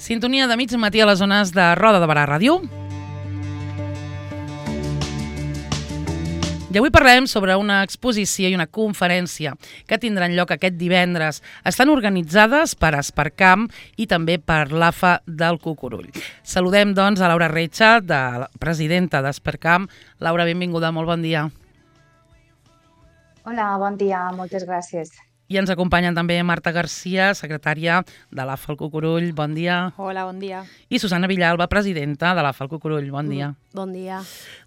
Sintonia de mig matí a les zones de Roda de Barà Ràdio. I avui parlem sobre una exposició i una conferència que tindran lloc aquest divendres. Estan organitzades per Espercamp i també per l'AFA del Cucurull. Saludem, doncs, a Laura Reixa, presidenta d'Espercamp. Laura, benvinguda, molt bon dia. Hola, bon dia, moltes gràcies. I ens acompanyen també Marta Garcia, secretària de l'AFA del Cucurull. Bon dia. Hola, bon dia. I Susana Villalba, presidenta de l'AFA del Cucurull. Bon dia. Bon dia.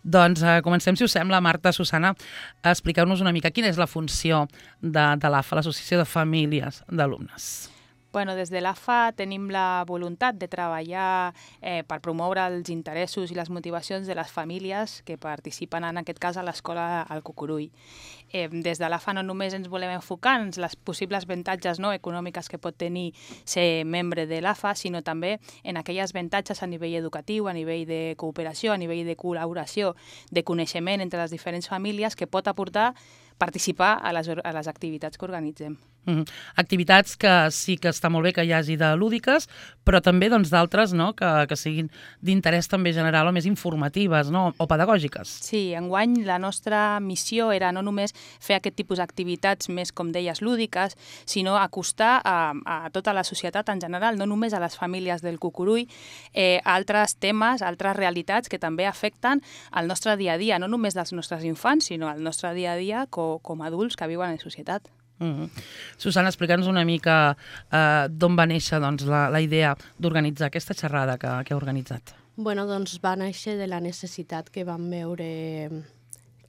Doncs comencem, si us sembla, Marta, Susana, expliqueu-nos una mica quina és la funció de l'AFA, l'Associació de Famílies d'Alumnes. Bueno, des de l'AFA tenim la voluntat de treballar per promoure els interessos i les motivacions de les famílies que participen, en aquest cas, a l'escola al Cucurull. Des de l'AFA no només ens volem enfocar en les possibles avantatges econòmiques que pot tenir ser membre de l'AFA, sinó també en aquelles avantatges a nivell educatiu, a nivell de cooperació, a nivell de col·laboració, de coneixement entre les diferents famílies que pot aportar participar a les activitats que organitzem. Activitats que sí que està molt bé que hi hagi de lúdiques, però també d'altres que siguin d'interès també general o més informatives o pedagògiques. Sí, enguany la nostra missió era no només fer aquest tipus d'activitats més, com deies, lúdiques, sinó acostar a tota la societat en general, no només a les famílies del Cucurull, altres temes, altres realitats que també afecten el nostre dia a dia, no només dels nostres infants, sinó el nostre dia a dia com a adults que viuen en societat. Susana, explica'ns una mica d'on va néixer la idea d'organitzar aquesta xerrada que heu organitzat. Bueno, doncs va néixer de la necessitat que vam veure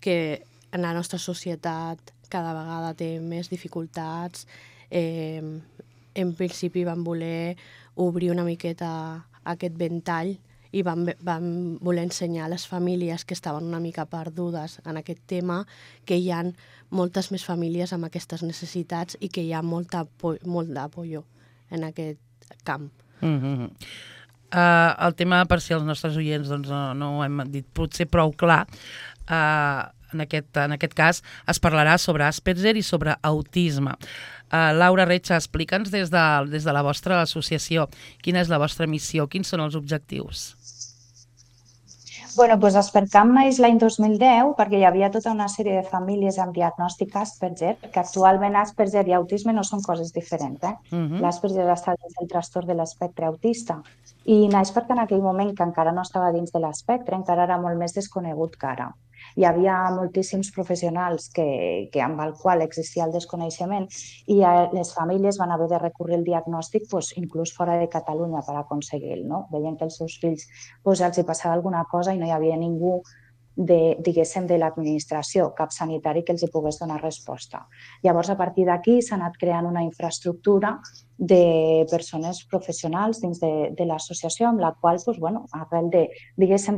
que en la nostra societat cada vegada té més dificultats. En principi vam voler obrir una miqueta aquest ventall i vam voler ensenyar a les famílies que estaven una mica perdudes en aquest tema que hi ha moltes més famílies amb aquestes necessitats i que hi ha molt d'apoyo en aquest camp. El tema, per si els nostres oients no ho hem dit potser prou clar, en aquest cas es parlarà sobre Asperger i sobre autisme. Laura Reixa, explica'ns des de la vostra associació quina és la vostra missió, quins són els objectius. Bueno, doncs Espercamp neix l'any 2010 perquè hi havia tota una sèrie de famílies amb diagnòstic Asperger, que actualment Asperger i autisme no són coses diferents. L'Asperger està dins del trastorn de l'espectre autista i naix perquè en aquell moment que encara no estava dins de l'espectre, encara era molt més desconegut que ara. Hi havia moltíssims professionals amb el qual existia el desconeixement i les famílies van haver de recórrer el diagnòstic inclús fora de Catalunya per aconseguir-lo. Veien que els seus fills els hi passava alguna cosa i no hi havia ningú diguéssim, de l'administració, cap sanitari que els hi pogués donar resposta. Llavors, a partir d'aquí s'ha anat creant una infraestructura de persones professionals dins de l'associació amb la qual, arrel de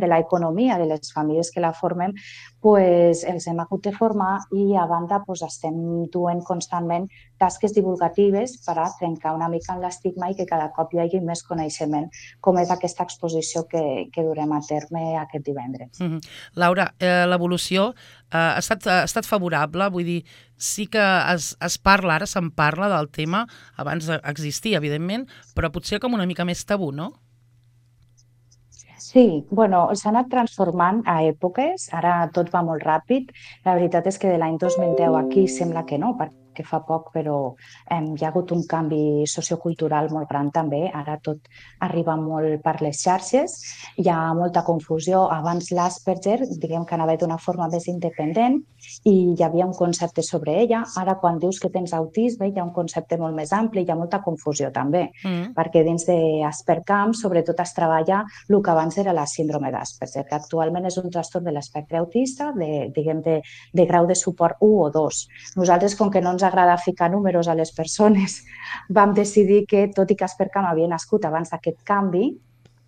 l'economia de les famílies que la formem, els hem hagut de formar i a banda estem duent constantment tasques divulgatives per a trencar una mica en l'estigma i que cada cop hi hagi més coneixement, com és aquesta exposició que durem a terme aquest divendres. Laura, l'evolució ha estat favorable? Vull dir, sí que es parla, ara se'n parla del tema, abans existia, evidentment, però potser com una mica més tabú, no? Sí, s'ha anat transformant a èpoques, ara tot va molt ràpid. La veritat és que de l'any 2010 aquí sembla que no, perquè fa poc, però hi ha hagut un canvi sociocultural molt gran també. Ara tot arriba molt per les xarxes, hi ha molta confusió. Abans l'Asperger, diguem que anava d'una forma més independent i hi havia un concepte sobre ella. Ara, quan dius que tens autisme, hi ha un concepte molt més ampli, hi ha molta confusió també, perquè dins d'Espercamp sobretot es treballa el que abans era la síndrome d'Asperger, que actualment és un trastorn de l'espectre autista de grau de suport 1 o 2. Nosaltres, com que no ens agrada ficar números a les persones, vam decidir que, tot i que Espercamp havia nascut abans d'aquest canvi,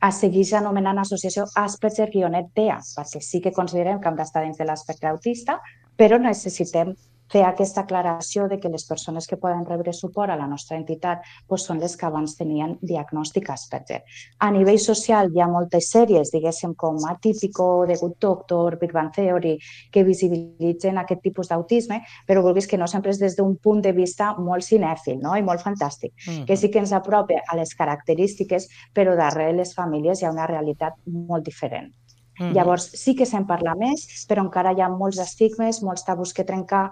es segueix anomenant associació Asperger-TEA, perquè sí que considerem que hem d'estar dins de l'espectre autista, però necessitem fer aquesta aclaració de que les persones que poden rebre suport a la nostra entitat són les que abans tenien diagnòstic Asperger. A nivell social hi ha moltes sèries, diguéssim, com Atípico, The Good Doctor, Big Bang Theory, que visibilitzen aquest tipus d'autisme, però vulguis que no sempre és des d'un punt de vista molt cinèfil, no? I molt fantàstic, que sí que ens apropa a les característiques, però darrere les famílies hi ha una realitat molt diferent. Llavors, sí que se'n parla més, però encara hi ha molts estigmes, molts tabús que trencar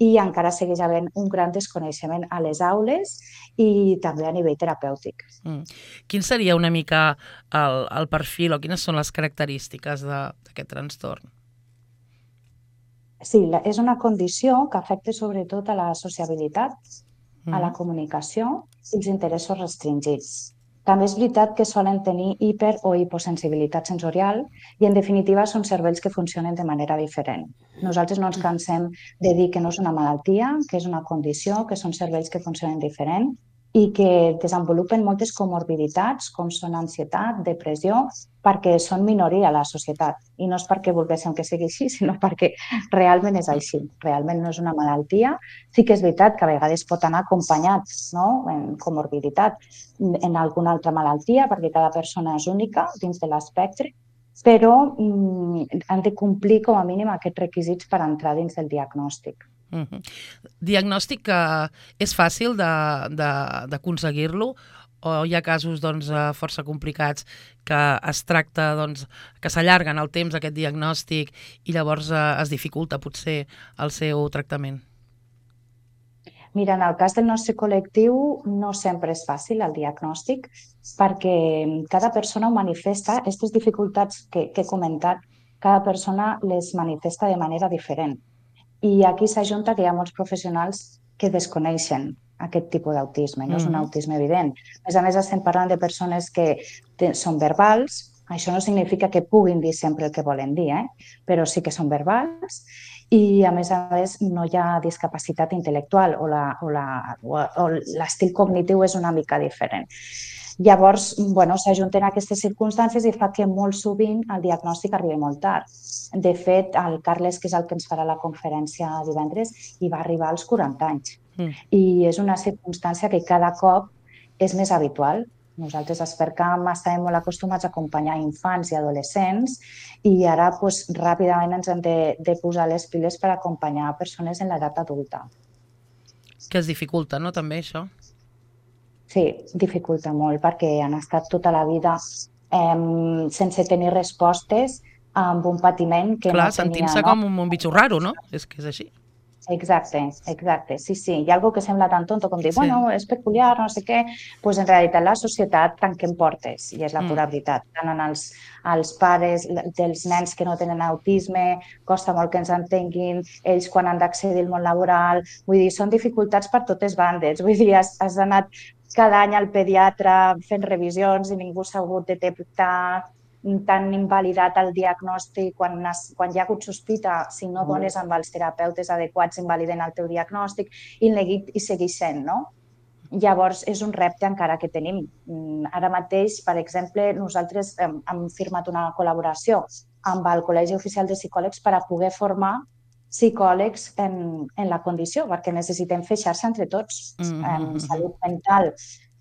i encara segueix havent un gran desconeixement a les aules i també a nivell terapèutic. Quin seria una mica el perfil o quines són les característiques d'aquest trastorn? Sí, és una condició que afecta sobretot a la sociabilitat, a la comunicació i els interessos restringits. També és veritat que solen tenir hiper- o hiposensibilitat sensorial i, en definitiva, són cervells que funcionen de manera diferent. Nosaltres no ens cansem de dir que no és una malaltia, que és una condició, que són cervells que funcionen diferent i que desenvolupen moltes comorbiditats, com són ansietat, depressió, perquè són minoria a la societat. I no és perquè volguéssim que sigui així, sinó perquè realment és així. Realment no és una malaltia. Sí que és veritat que a vegades pot anar acompanyat, no?, en comorbiditat, en alguna altra malaltia, perquè cada persona és única dins de l'espectre, però han de complir com a mínim aquests requisits per entrar dins del diagnòstic. Diagnòstic que és fàcil d'aconseguir-lo o hi ha casos força complicats que es tracta, que s'allarguen el temps aquest diagnòstic i llavors es dificulta potser el seu tractament? Mira, en el cas del nostre col·lectiu no sempre és fàcil el diagnòstic perquè cada persona ho manifesta. Aquestes dificultats que he comentat, cada persona les manifesta de manera diferent. I aquí s'ajunta que hi ha molts professionals que desconeixen aquest tipus d'autisme, no és un autisme evident. A més, estem parlant de persones que són verbals. Això no significa que puguin dir sempre el que volen dir, però sí que són verbals i, a més, no hi ha discapacitat intel·lectual o l'estil cognitiu és una mica diferent. Llavors, s'ajunten aquestes circumstàncies i fa que molt sovint el diagnòstic arribi molt tard. De fet, el Carles, que és el que ens farà la conferència divendres, hi va arribar als 40 anys. I és una circumstància que cada cop és més habitual. Nosaltres a Espercamp estàvem molt acostumats a acompanyar infants i adolescents i ara ràpidament ens hem de posar les piles per acompanyar persones en l'edat adulta. Que es dificulta, no, també, això? Sí, dificulta molt perquè han estat tota la vida sense tenir respostes amb un patiment que Clar, no tenia... sentint-se com un bitxo raro, no? És que és així. Exacte, sí. Hi ha algo que sembla tan tonto com dir, és peculiar, no sé què, doncs en realitat la societat tanquem portes i és la pura veritat. Tant en els pares dels nens que no tenen autisme, costa molt que ens entenguin, ells quan han d'accedir al món laboral, vull dir, són dificultats per totes bandes, vull dir, has anat cada any al pediatre fent revisions i ningú s'ha hagut de detectar, tan invalidat el diagnòstic, quan hi ha hagut sospita, si no dones amb els terapeutes adequats, invaliden el teu diagnòstic i el neguit i segueix sent, no? Llavors, és un repte encara que tenim. Ara mateix, per exemple, nosaltres hem firmat una col·laboració amb el Col·legi Oficial de Psicòlegs per a poder formar psicòlegs en la condició, perquè necessitem fer xarxa entre tots. Salut mental,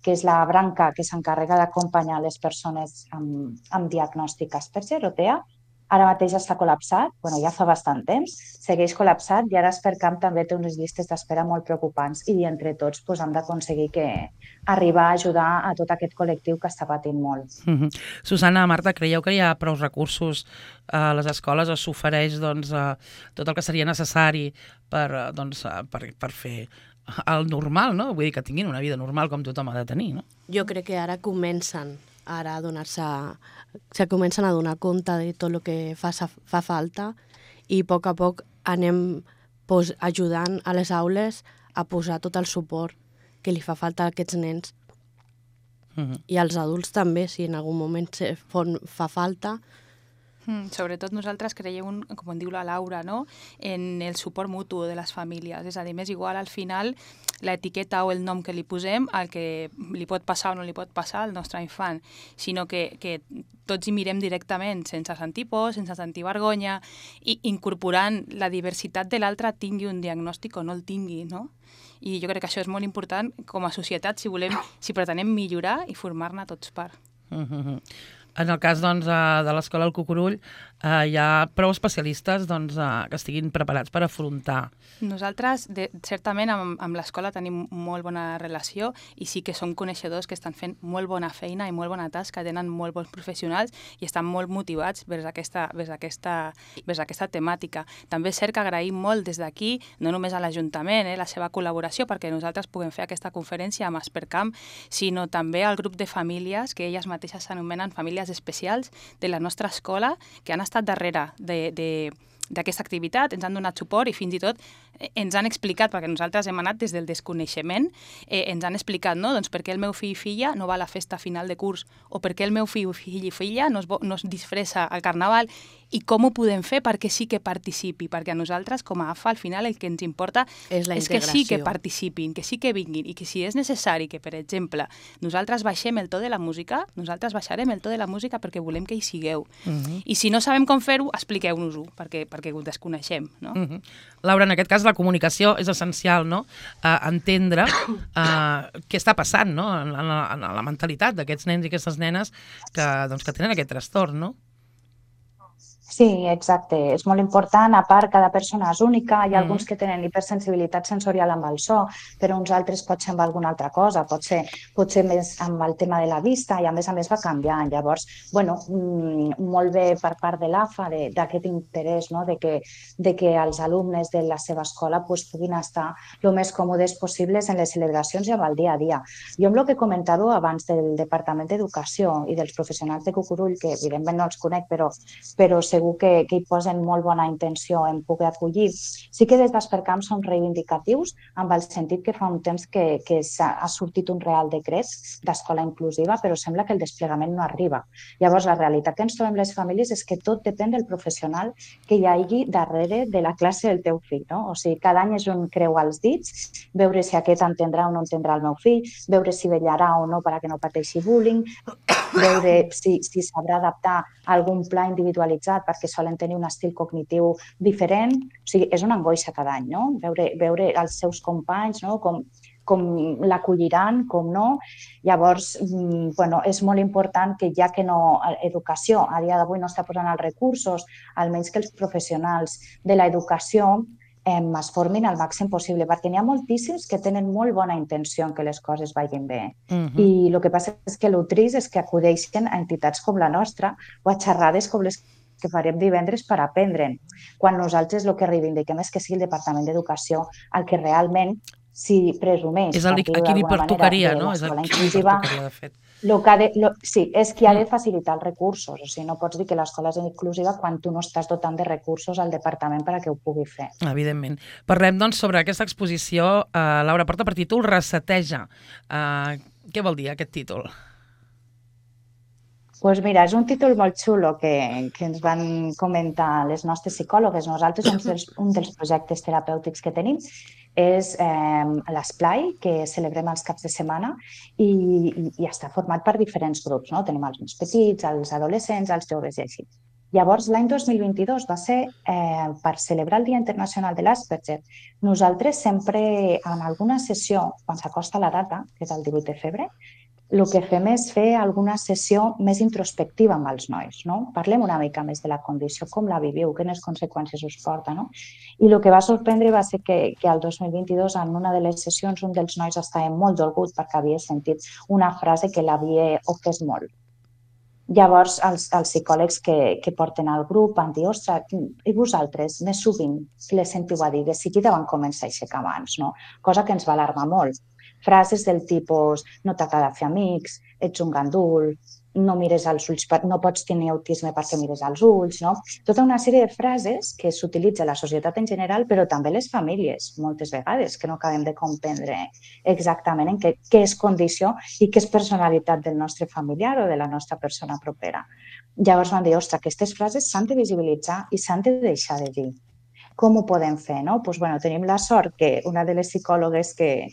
que és la branca que s'encarrega d'acompanyar les persones amb diagnòstic Asperger o TEA, ara mateix està col·lapsat, ja fa bastant temps, segueix col·lapsat i ara Espercamp també té unes llistes d'espera molt preocupants i entre tots hem d'aconseguir arribar a ajudar a tot aquest col·lectiu que està patint molt. Susana, Marta, creieu que hi ha prou recursos a les escoles o s'ofereix tot el que seria necessari per fer el normal, no? Vull dir que tinguin una vida normal com tothom ha de tenir, no? Jo crec que ara comencen a comencen a donar compte de tot el que fa falta i a poc anem ajudant a les aules a posar tot el suport que li fa falta a aquests nens. I als adults també, si en algun moment fa falta, Sobretot nosaltres creiem, com en diu la Laura, no? En el suport mutu de les famílies. És a dir, m'és igual al final l'etiqueta o el nom que li posem, el que li pot passar o no li pot passar al nostre infant, sinó que tots hi mirem directament, sense sentir por, sense sentir vergonya, i incorporant la diversitat de l'altre, tingui un diagnòstic o no el tingui, no? I jo crec que això és molt important com a societat si pretenem millorar i formar-ne tots part. En el cas de l'Escola del Cucurull, hi ha prou especialistes que estiguin preparats per afrontar. Nosaltres, certament, amb l'escola tenim molt bona relació i sí que som coneixedors que estan fent molt bona feina i molt bona tasca, tenen molt bons professionals i estan molt motivats vers aquesta temàtica. També és cert que agraïm molt des d'aquí, no només a l'Ajuntament, la seva col·laboració perquè nosaltres puguem fer aquesta conferència amb Aspercamp, sinó també al grup de famílies que elles mateixes s'anomenen famílies especials de la nostra escola, que han estat darrere d'aquesta activitat, ens han donat suport i fins i tot ens han explicat, perquè nosaltres hem anat des del desconeixement, ens han explicat, no? Doncs per què el meu fill i filla no va a la festa final de curs, o per què el meu fill i filla no es disfressa al carnaval, i com ho podem fer perquè sí que participi, perquè a nosaltres, com a AFA, al final el que ens importa és que sí que participin, que sí que vinguin, i que si és necessari que, per exemple, nosaltres baixem el to de la música, nosaltres baixarem el to de la música perquè volem que hi sigueu. I si no sabem com fer-ho, expliqueu-nos-ho, perquè ho desconeixem, no? Laura, en aquest cas la comunicació és essencial, no? Entendre què està passant, no? En la mentalitat d'aquests nens i aquestes nenes que tenen aquest trastorn, no? Sí, exacte. És molt important. A part, cada persona és única. Hi ha alguns que tenen hipersensibilitat sensorial amb el so, però uns altres pot ser amb alguna altra cosa. Pot ser més amb el tema de la vista i, a més va canviant. Llavors, molt bé per part de l'AFA d'aquest interès, no? de que els alumnes de la seva escola puguin estar el més còmodes possibles en les celebracions i amb el dia a dia. Jo amb el que comentàveu abans del Departament d'Educació i dels professionals de Cucurull, que evidentment no els conec, però segur que hi posen molt bona intenció en poder acollir. Sí que des d'Aspercamp som reivindicatius amb el sentit que fa un temps que ha sortit un real decret d'escola inclusiva, però sembla que el desplegament no arriba. Llavors, la realitat que ens trobem les famílies és que tot depèn del professional que hi hagi darrere de la classe del teu fill, no? O sigui, cada any és un creu als dits, veure si aquest entendrà o no entendrà el meu fill, veure si vetllarà o no perquè no pateixi bullying, veure si sabrà adaptar algun pla individualitzat perquè solen tenir un estil cognitiu diferent. O sigui, és una angoixa cada any, no? Veure els seus companys, no? Com l'acolliran, com no. Llavors, és molt important que ja que educació a dia d'avui no està posant els recursos, almenys que els professionals de l'educació es formin al màxim possible, perquè n'hi ha moltíssims que tenen molt bona intenció en que les coses vagin bé. I el que passa és que el trist és que acudeixen a entitats com la nostra o a xerrades com les que farem divendres per aprendre'n, quan nosaltres el que reivindiquem és que sigui el Departament d'Educació el que realment, si presumeix... És a qui li pertocaria, no? És a qui li pertocaria, de fet. Sí, és qui ha de facilitar els recursos. O sigui, no pots dir que l'escola és inclusiva quan tu no estàs dotant de recursos al departament perquè ho pugui fer. Evidentment. Parlem, doncs, sobre aquesta exposició. Laura, porta per títol Reseteja. Què vol dir aquest títol? Doncs mira, és un títol molt xulo que ens van comentar les nostres psicòlogues. Nosaltres, un dels projectes terapèutics que tenim és l'esplai, que celebrem els caps de setmana i està format per diferents grups, no? Tenim els més petits, els adolescents, els joves i així. Llavors, l'any 2022 va ser per celebrar el Dia Internacional de l'Asperger. Nosaltres sempre, en alguna sessió, quan s'acosta la data, que és el 18 de febrer, el que fem és fer alguna sessió més introspectiva amb els nois, no? Parlem una mica més de la condició, com la viviu, quines conseqüències us porta, no? I el que va sorprendre va ser que el 2022, en una de les sessions, un dels nois estava molt dolgut perquè havia sentit una frase que l'havia ofès molt. Llavors, els psicòlegs que porten al grup van dir, ostres, i vosaltres, més sovint, què les sentiu a dir? De seguida van començar a aixecar mans, no? Cosa que ens va alarmar molt. Frases del tipus, no t'agrada fer amics, ets un gandul, no mires als ulls, no pots tenir autisme perquè mires als ulls, no? Tota una sèrie de frases que s'utilitza a la societat en general, però també les famílies, moltes vegades, que no acabem de comprendre exactament en què és condició i què és personalitat del nostre familiar o de la nostra persona propera. Llavors vam dir, ostres, aquestes frases s'han de visibilitzar i s'han de deixar de dir. Com ho podem fer? No? Doncs, bueno, tenim la sort que una de les psicòlogues que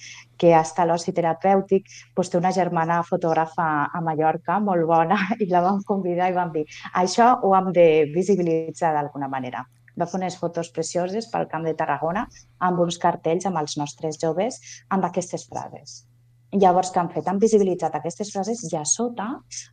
està a l'oci terapèutic té una germana fotògrafa a Mallorca molt bona i la vam convidar i vam dir això ho hem de visibilitzar d'alguna manera. Va fer unes fotos precioses pel Camp de Tarragona amb uns cartells amb els nostres joves amb aquestes frases. Llavors, què han fet? Han visibilitzat aquestes frases i a sota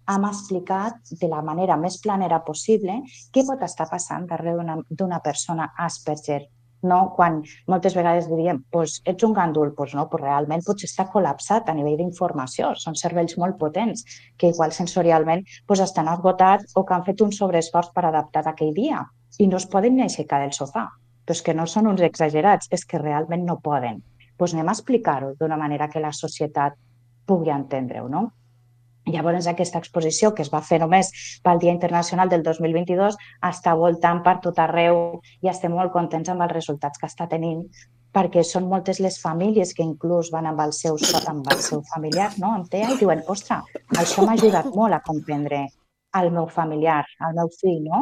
hem explicat de la manera més planera possible què pot estar passant darrere d'una persona Asperger. No? Quan moltes vegades diríem ets un gandul, no, realment potser està col·lapsat a nivell d'informació. Són cervells molt potents que igual sensorialment estan esgotats o que han fet un sobreesforç per adaptar aquell dia i no es poden ni aixecar del sofà. Però és que no són uns exagerats, és que realment no poden. Doncs anem a explicar-ho d'una manera que la societat pugui entendre-ho, no? Llavors, aquesta exposició, que es va fer només pel Dia Internacional del 2022, està voltant per tot arreu i estem molt contents amb els resultats que està tenint, perquè són moltes les famílies que inclús van amb el seu familiar, no? Amb TEA, i diuen, ostres, això m'ha ajudat molt a comprendre el meu familiar, el meu fill, no?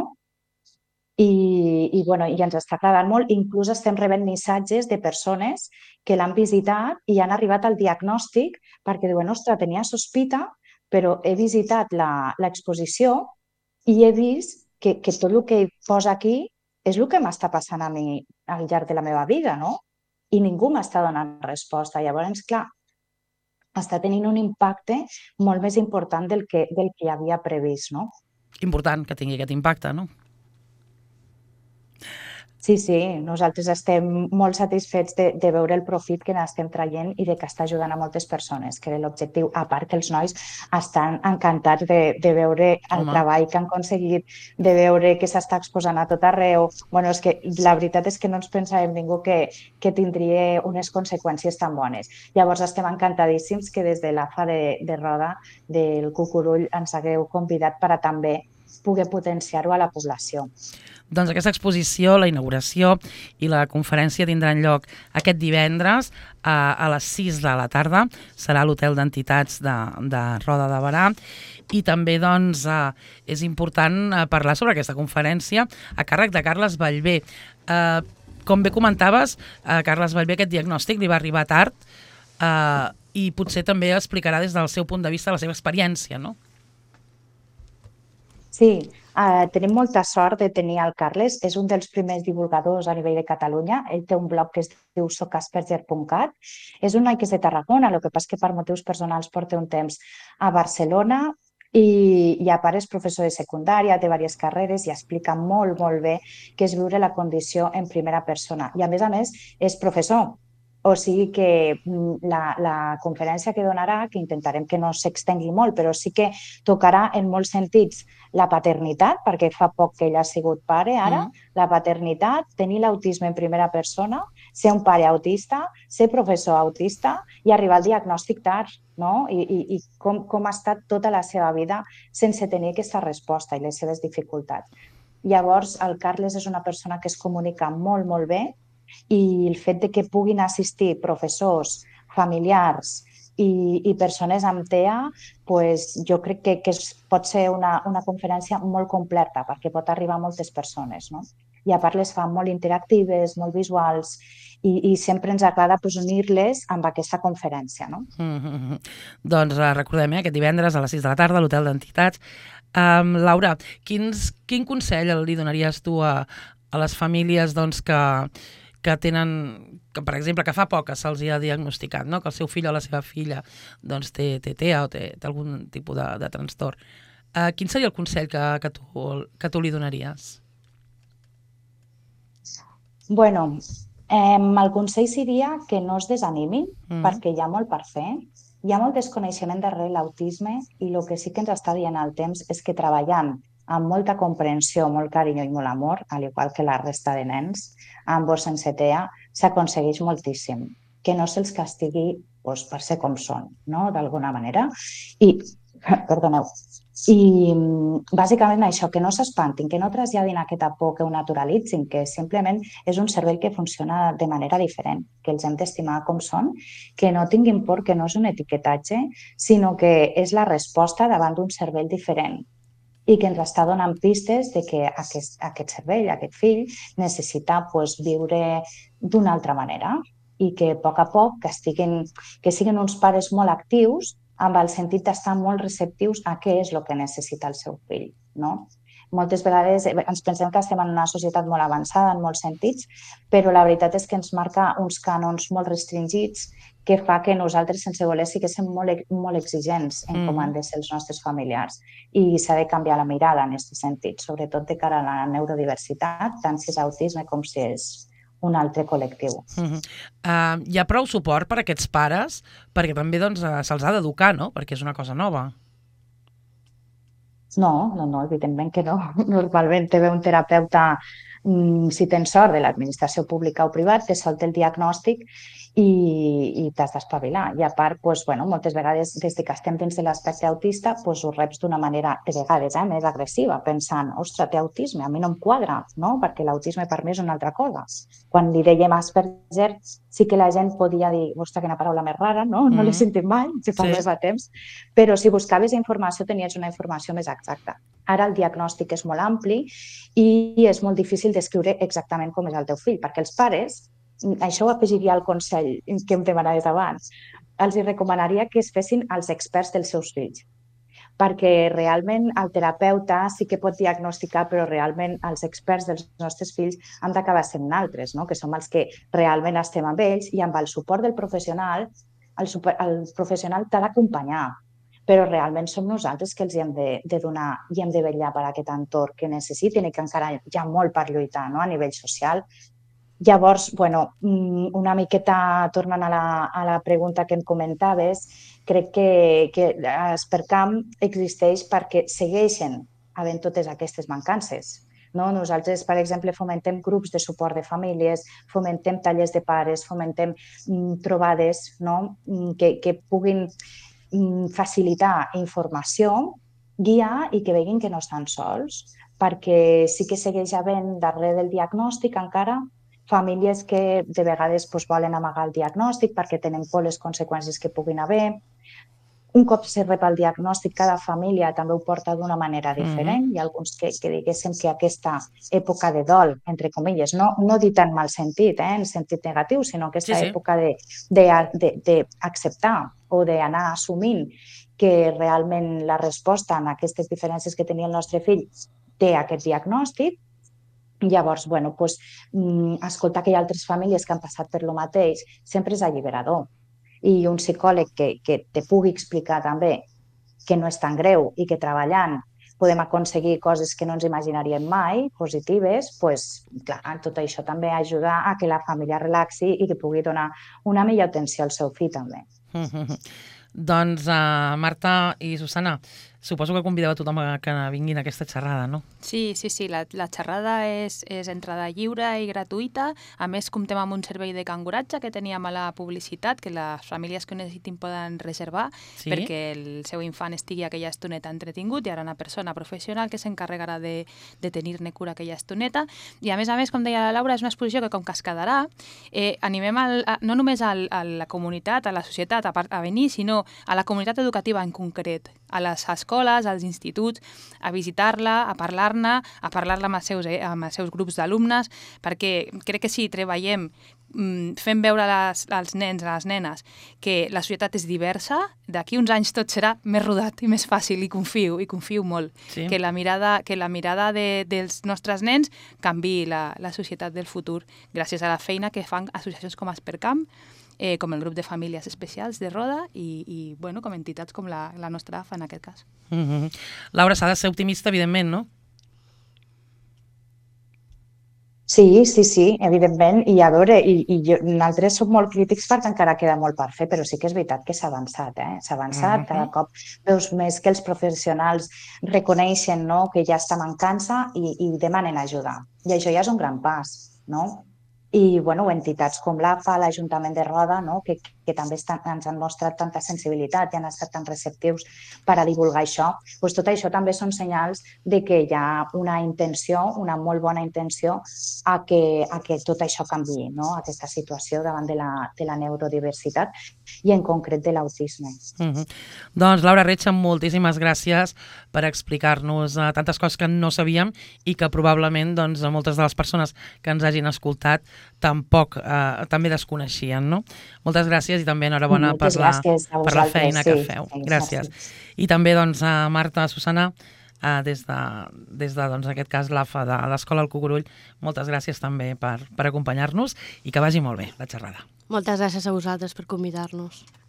I ens està agradant molt. Inclús estem rebent missatges de persones que l'han visitat i han arribat al diagnòstic perquè diuen, ostres, tenia sospita, però he visitat l'exposició i he vist que tot el que posa aquí és el que m'està passant a mi al llarg de la meva vida, no? I ningú m'està donant resposta. Llavors, clar, està tenint un impacte molt més important del que hi havia previst, no? Important que tingui aquest impacte, no? Sí, nosaltres estem molt satisfets de veure el profit que n'estem traient i de que està ajudant a moltes persones, que era l'objectiu, a part que els nois estan encantats de veure el treball que han aconseguit, de veure que s'està exposant a tot arreu. Bueno, és que la veritat és que no ens pensàvem ningú que tindria unes conseqüències tan bones. Llavors estem encantadíssims que des de l'AFA de Roda del Cucurull ens hagueu convidat per a també poder potenciar-ho a la població. Doncs aquesta exposició, la inauguració i la conferència tindran lloc aquest divendres a les 6 de la tarda. Serà a l'Hotel d'Entitats de Roda de Berà. I també doncs, és important parlar sobre aquesta conferència a càrrec de Carles Ballbé. Com bé comentaves, a Carles Ballbé aquest diagnòstic li va arribar tard i potser també explicarà des del seu punt de vista la seva experiència, no? Sí, tenim molta sort de tenir el Carles. És un dels primers divulgadors a nivell de Catalunya. Ell té un blog que es diu socasperger.cat. És un noi que és de Tarragona, el que passa que per motius personals porta un temps a Barcelona i a part és professor de secundària, té diverses carreres i explica molt, molt bé què és viure la condició en primera persona. I a més, és professor. O sigui que la conferència que donarà, que intentarem que no s'extengui molt, però sí que tocarà en molts sentits la paternitat, perquè fa poc que ell ha sigut pare ara, la paternitat, tenir l'autisme en primera persona, ser un pare autista, ser professor autista i arribar al diagnòstic tard, no? I com ha estat tota la seva vida sense tenir aquesta resposta i les seves dificultats. Llavors, el Carles és una persona que es comunica molt, molt bé, i el fet de que puguin assistir professors, familiars i persones amb TEA, jo crec que pot ser una conferència molt completa perquè pot arribar a moltes persones, no? I a part les fa molt interactives, molt visuals i sempre ens agrada unir-les amb aquesta conferència, no? Doncs recordem, aquest divendres a les 6 de la tarda a l'Hotel d'Entitats. Laura, quin consell li donaries tu a les famílies que tenen, que per exemple, que fa poc que se'ls ha diagnosticat, no? Que el seu fill o la seva filla té TEA o té algun tipus de trastorn. Quin seria el consell que tu li donaries? Bueno, el consell seria que no es desanimin, perquè hi ha molt per fer. Hi ha molt desconeixement darrere l'autisme i el que sí que ens està dient el temps és que treballant amb molta comprensió, molt carinyo i molt amor, al igual que la resta de nens, amb o sense TEA, s'aconsegueix moltíssim. Que no se'ls castigui per ser com són, no? D'alguna manera. Perdoneu. I bàsicament això, que no s'espantin, que no traslladin aquesta por, que ho naturalitzin, que simplement és un cervell que funciona de manera diferent, que els hem d'estimar com són, que no tinguin por, que no és un etiquetatge, sinó que és la resposta davant d'un cervell diferent. i que ens està donant pistes de que aquest cervell, aquest fill, necessita viure d'una altra manera i que a poc que siguin uns pares molt actius amb el sentit d'estar molt receptius a què és el que necessita el seu fill, no? Moltes vegades ens pensem que estem en una societat molt avançada en molts sentits, però la veritat és que ens marca uns cànons molt restringits que fa que nosaltres, sense voler, siguéssim molt exigents en com han de ser els nostres familiars. I s'ha de canviar la mirada en aquest sentit, sobretot de cara a la neurodiversitat, tant si és autisme com si és un altre col·lectiu. Hi ha prou suport per a aquests pares? Perquè també se'ls ha d'educar, no? Perquè és una cosa nova. No, evidentment que no. Normalment te ve un terapeuta, si tens sort, de l'administració pública o privat, te solta el diagnòstic i t'has d'espavilar. I a part, moltes vegades, des que estem dins de l'aspecte autista, ho reps d'una manera, de vegades, més agressiva, pensant, ostres, té autisme, a mi no em quadra, no? Perquè l'autisme per mi és una altra cosa. Quan li dèiem Asperger, sí que la gent podia dir, ostres, quina paraula més rara, no? No l'he sentit mai, si fa més de temps. Però si buscaves informació, tenies una informació més exacta. Ara el diagnòstic és molt ampli i és molt difícil descriure exactament com és el teu fill, perquè els pares, això ho afegiria al consell que em demanaves abans, els recomanaria que es fessin els experts dels seus fills, perquè realment el terapeuta sí que pot diagnosticar, però realment els experts dels nostres fills han d'acabar sent naltres, no? Que som els que realment estem amb ells i amb el suport del professional, el professional t'ha d'acompanyar, però realment som nosaltres que els hem de donar i hem de vetllar per aquest entorn que necessiten i que encara hi ha molt per lluitar, no? A nivell social. Llavors, una miqueta tornant a la pregunta que em comentaves, crec que Aspercam existeix perquè segueixen havent totes aquestes mancances. Nosaltres, per exemple, fomentem grups de suport de famílies, fomentem tallers de pares, fomentem trobades que puguin facilitar informació, guiar i que veguin que no estan sols, perquè sí que segueix havent darrere del diagnòstic encara famílies que de vegades volen amagar el diagnòstic perquè tenen por les conseqüències que puguin haver. Un cop se rep el diagnòstic, cada família també ho porta d'una manera diferent. Hi ha alguns que diguéssim que aquesta època de dol, entre comilles, no dit en mal sentit, en sentit negatiu, sinó aquesta època d'acceptar o d'anar assumint que realment la resposta a aquestes diferències que tenia el nostre fill té aquest diagnòstic. Llavors, escoltar que hi ha altres famílies que han passat per lo mateix sempre és alliberador. I un psicòleg que te pugui explicar també que no és tan greu i que treballant podem aconseguir coses que no ens imaginaríem mai, positives, clar, tot això també ajuda a que la família relaxi i que pugui donar una millor atenció al seu fill també. Doncs, Marta i Susana, suposo que convideu a tothom que vinguin a aquesta xerrada, no? Sí, la xerrada és entrada lliure i gratuïta. A més, comptem amb un servei de canguratge que teníem a la publicitat, que les famílies que ho necessitin poden reservar perquè el seu infant estigui aquella estoneta entretingut. Hi haurà una persona professional que s'encarregarà de tenir-ne cura aquella estoneta. I a més, com deia la Laura, és una exposició que com que es quedarà, animem no només a la comunitat, a la societat a venir, sinó a la comunitat educativa en concret, a les escoles, als instituts, a visitar-la, a parlar-ne amb els seus grups d'alumnes, perquè crec que si treballem fem veure als nens, a les nenes, que la societat és diversa, d'aquí uns anys tot serà més rodat i més fàcil, i confio molt, que la mirada dels nostres nens canviï la societat del futur, gràcies a la feina que fan associacions com Aspercam, com el grup de famílies especials de Roda i com entitats com la nostra AFA en aquest cas. Laura, s'ha de ser optimista, evidentment, no? Sí, evidentment. I a veure, nosaltres som molt crítics perquè encara queda molt per fer, però sí que és veritat que s'ha avançat, S'ha avançat, cada cop veus més que els professionals reconeixen que hi ha esta mancança i demanen ajuda. I això ja és un gran pas, no? I entitats com l'AFA, l'Ajuntament de Roda, que que també ens han mostrat tanta sensibilitat i han estat tan receptius per a divulgar això, doncs tot això també són senyals de que hi ha una intenció, una molt bona intenció a que tot això canviï, no? Aquesta situació davant de la neurodiversitat i en concret de l'autisme. Doncs Laura Retxa, moltíssimes gràcies per explicar-nos tantes coses que no sabíem i que probablement moltes de les persones que ens hagin escoltat tampoc també desconeixien, no? Moltes gràcies i també enhorabona per la feina que feu. Gràcies. I també a Marta, Susana, des de en aquest cas l'AFA de l'Escola El Cucurull, moltes gràcies també per acompanyar-nos i que vagi molt bé la xerrada. Moltes gràcies a vosaltres per convidar-nos.